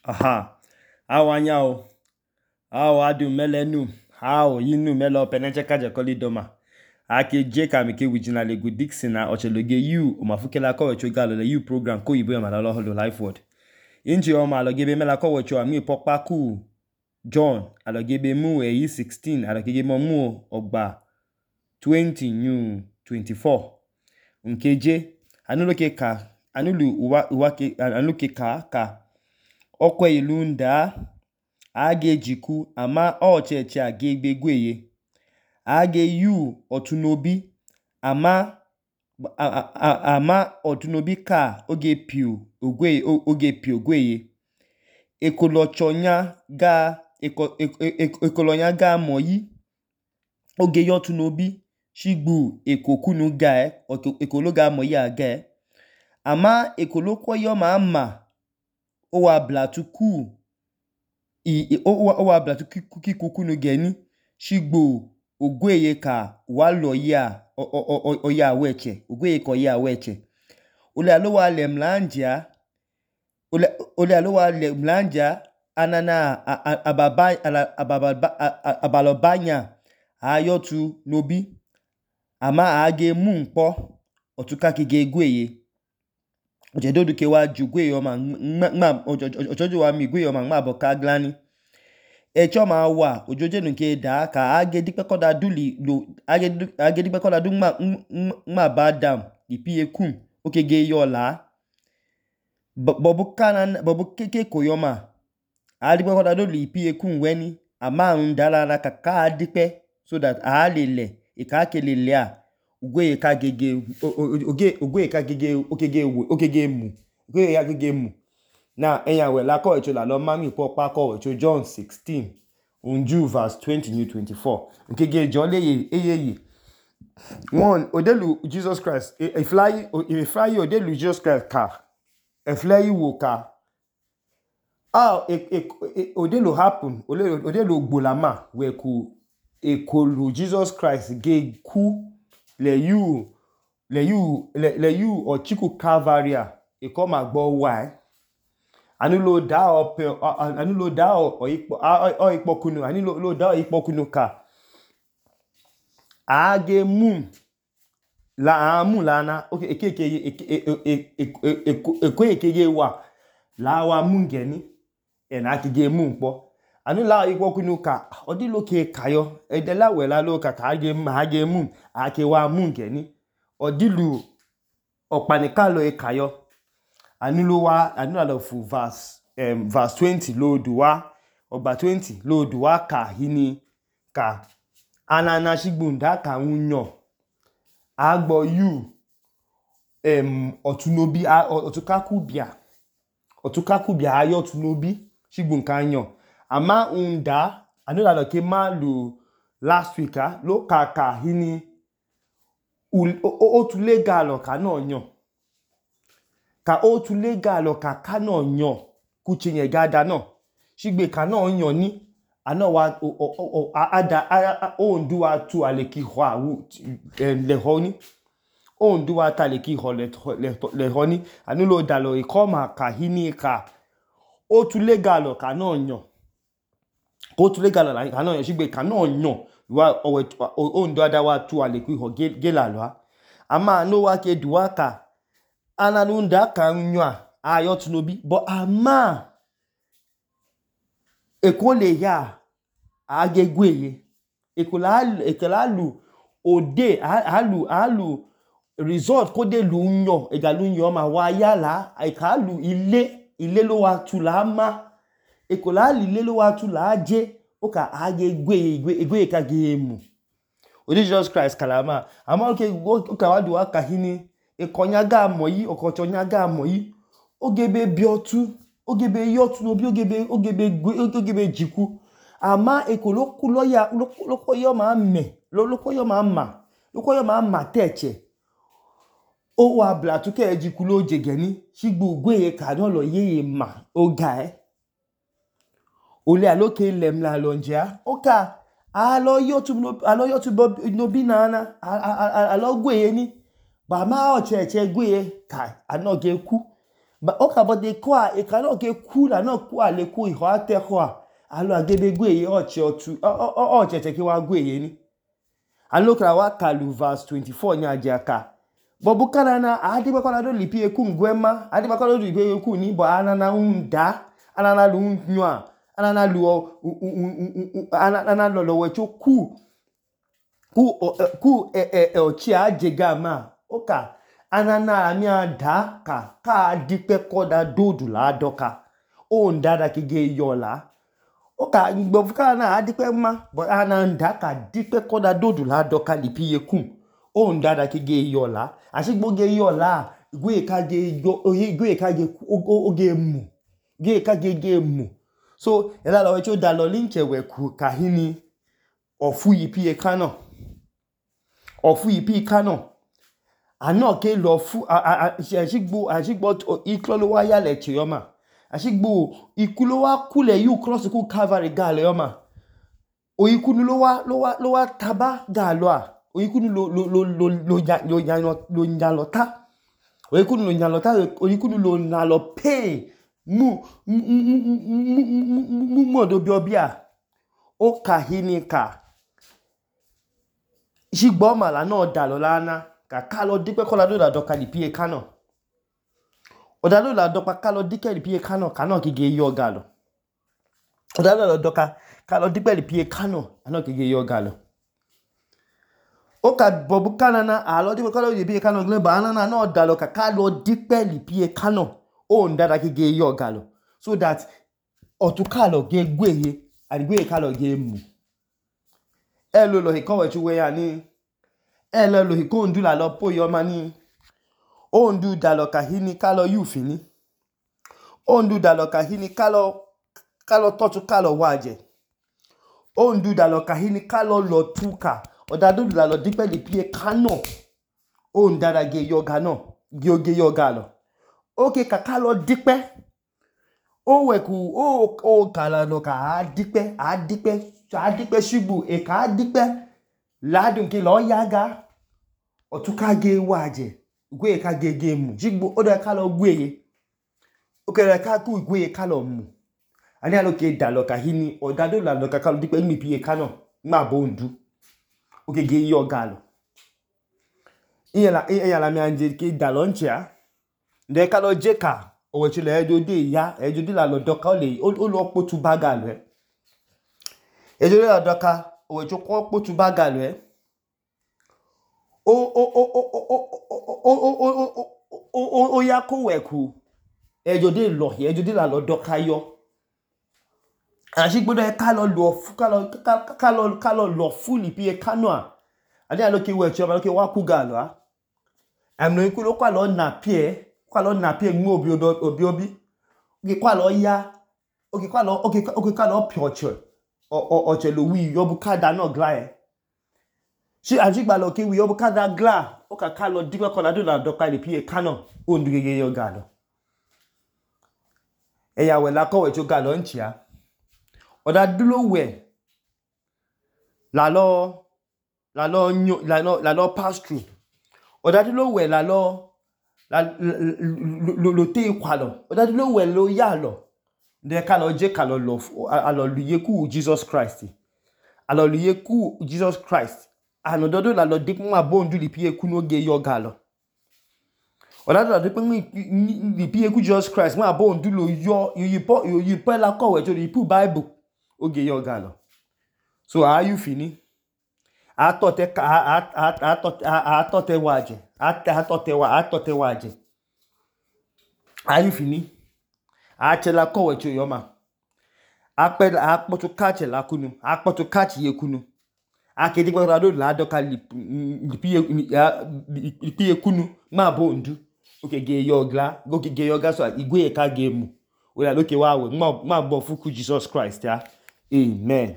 Aha, how anyao? How adu melenu? How yinu melo peneche kaje koli doma? Ake J kamike wijina legu Dixon na ocheloge you omafukela ko wecho galo le you program ko yibo yama lo holo life word. Inji oma alogebe mela ko wecho ami pokpa ku John alogebe mu eyi 16 alogebe mu ogba 20 new 24. Nkeje anuloke ka anulu uwake anuloke ka okwe ilunda age jiku ama ocheche age gbegweye age yu otunobi ama otunobi ka oge piu ogweye ekolochonya ga moyi oge yotunobi shigbu ekokunu ga ekologa moyi aga ama ekolokwo yo ma ama owa blatuku kikukunu geni shigbo ogweye ka walo ya oya weche ogweye ko ya weche ole alowa lemlanja anana abalobanya ayotu nobi ama age mu nkpo otuka kige gweye ojedodu ke wa ju gweye ojojo wa mi gweye ma boka glani echo ma wa ojoje nu ke da ka age dipe koda duli lo age dipe koda du ma badam ipie kum okege yola bobu keke koyoma adipe koda duli ipie kum weni ama ndala na kaka adipe so that alele ikakele a ogweye ka gege okege mu na eyan we la ko echo la lo mami pokpa ko echo John 16 unju verse 20 new 24 okege jo leye eyeye one odelu Jesus Christ ifly odelu Jesus Christ ka efly wo ka odelu happen odelu gbolama we ku ekolu Jesus Christ ge ku le you ochiku Calvaria ekoma gbo wa anulo da o ipokunu anulo da o ipokunu ka age mum la amu lana okay ekeke wa la wa mungeni ena kige mumpo anula ipokunu ka odilo ke kayo edela we la lo ka age mum ake wa mungeni odilu opanika lo ekayo anula lo fu verse 20 lo duwa ogba 20 lo duwa ka hini ka anana shigbunda ka unyo agbo you otunobi otukakubia ayo tunobi shigbun kanyo ama unda anula lo ke ma lu last week lo ka hini otulega lo ka no nyo ka otulega lo ka no nyo kuchinye gada no shigbe ka no nyo ni ano wa ondu wa tu aleki hwa le honi ondu wa ta leki ho le honi anulo dalo ikoma ka hini ka otulega lo ka no nyo otulega lo ka no nyo shigbe ka no nyo wa ondu ada wa tu aleki ho gela lo ama no wa ke duwa ka ananunda ka nyo ayo tunobi but ama ekole ya age gweye ekolalu ode alu result ko de lu nyo egalu nyo ma wa yala ekalu ile lo wa tu la ma ekolalu ile lo wa tu la je o ka age gweye ka ge mu odi Jesus Christ kalama ama o ka wa duwa ka hini ekonya ga moyi okochonya ga moyi ogebe biotu ogebe yotu no bi ogebe jiku ama ekoloku loya lokoyo ma ma teche o wa blatu ke ejiku lo jegeni shigbu gweye ka no lo yeye ma oga ole aloke lemla lonja oka alo yotu no bi nana alo gweye ni ba ma ocheche gweye ka anoge ku oka bode kwa ekano ke kula no kwa le ku iho ate kwa alo agebe gweye ocheche ke wa gweye ni alo kra wa kalu verse 24 nya jaka bobu kanana adiba kwa do lipi eku ngwema adiba kwa do lipi eku ni bo anana unda anana lu nwa anana lu anana lo wecho ku ochi ajega ma oka anana ami ada ka dipe koda dodu la doka o ndada kige yola oka gbofuka na adipe ma but ananda ka dipe koda dodu la doka lipi yekum o ndada kige yola asigbo ge yola gwe ka ge oge mu ge ka ge mu so ela lo wecho da lo linche we ku kahini ofu yipi ekano ano ke lo fu asigbo iklolo wa ya le chioma asigbo ikulo wa kule yu cross ku Calvary ga le yoma oyikunu lo wa taba ga lo a oyikunu lo nyalota oyikunu lo nalo pain mu do biobia o kahini ka sigbo mala no dalo lana ka lo dipe kola do da doka lipi ekano odalo la dopa ka lo dike lipi ekano kano kige yo galo odalo la doka ka lo dipe lipi ekano ano kige yo galo oka bobu kanana alo dipe kola lipi ekano gle ba anana no dalo ka lo dipe lipi ekano o ndada kige yo galo so that otuka lo ge gweye adigwe ka lo ge mu elo lo hikowe chuwe ya ni elo lo hiko ndu la lo po yo mani o ndu dalo kahini ka lo yufini o ndu dalo kahini ka lo totu ka lo waje o ndu dalo kahini ka lo tuka odadu la lo dipe lipi ekano o ndada ge yoga no ge yoga lo oke ka lo dipe o weku o kala no ka adipe shibu e ka adipe ladun ke lo yaga otuka ge waje gwe ka ge mu shibu o de ka lo gweye o kere ka ku gwe ka lo mu ani alo ke dalo kahini odado la lo ka lo dipe mi pi ekano ma bo ndu o ke ge yoga lo iya la mi anje ke dalo nchia nde ka lo jeka owechile ejode la lo doka o lo potu baga lo ejode la doka owecho ko potu baga lo o ya ko weku ejode la lo doka yo asigbodo ka lo lo fu lipi ekano a ade alo ke wecho ma lo ke wa ku ga lo a amno ikulo kwa lo na pie mu obi ge kwa lo ya oge kwa lo pioche oche lo wi yobu kada no gla si ajigba lo ke wi yobu kada gla o ka lo dipe kola do la doka lipi ekano o ndu ge yo ga lo eya we la ko we cho ga lo nchia oda dulo we la lo pass through oda dulo we la lo te kwalo oda dulo we lo ya lo de ka lo je ka lo lo alo luye ku Jesus Christ anododo la lo dik ma bondu lipi eku no ge yo ga lo oda do dik lipi eku Jesus Christ ma bondu lo yo yi pe la ko we to lipi Bible o ge yo ga lo so are you fini atote waje are you fini achela ko we cho yo ma akpotu kache la kunu akpotu kache ye kunu akedi gba do la doka lipi ekunu ma bondu oke ge yo ga so igwe ka ge mu o la loke wa we ma bo fuku Jesus Christ ya amen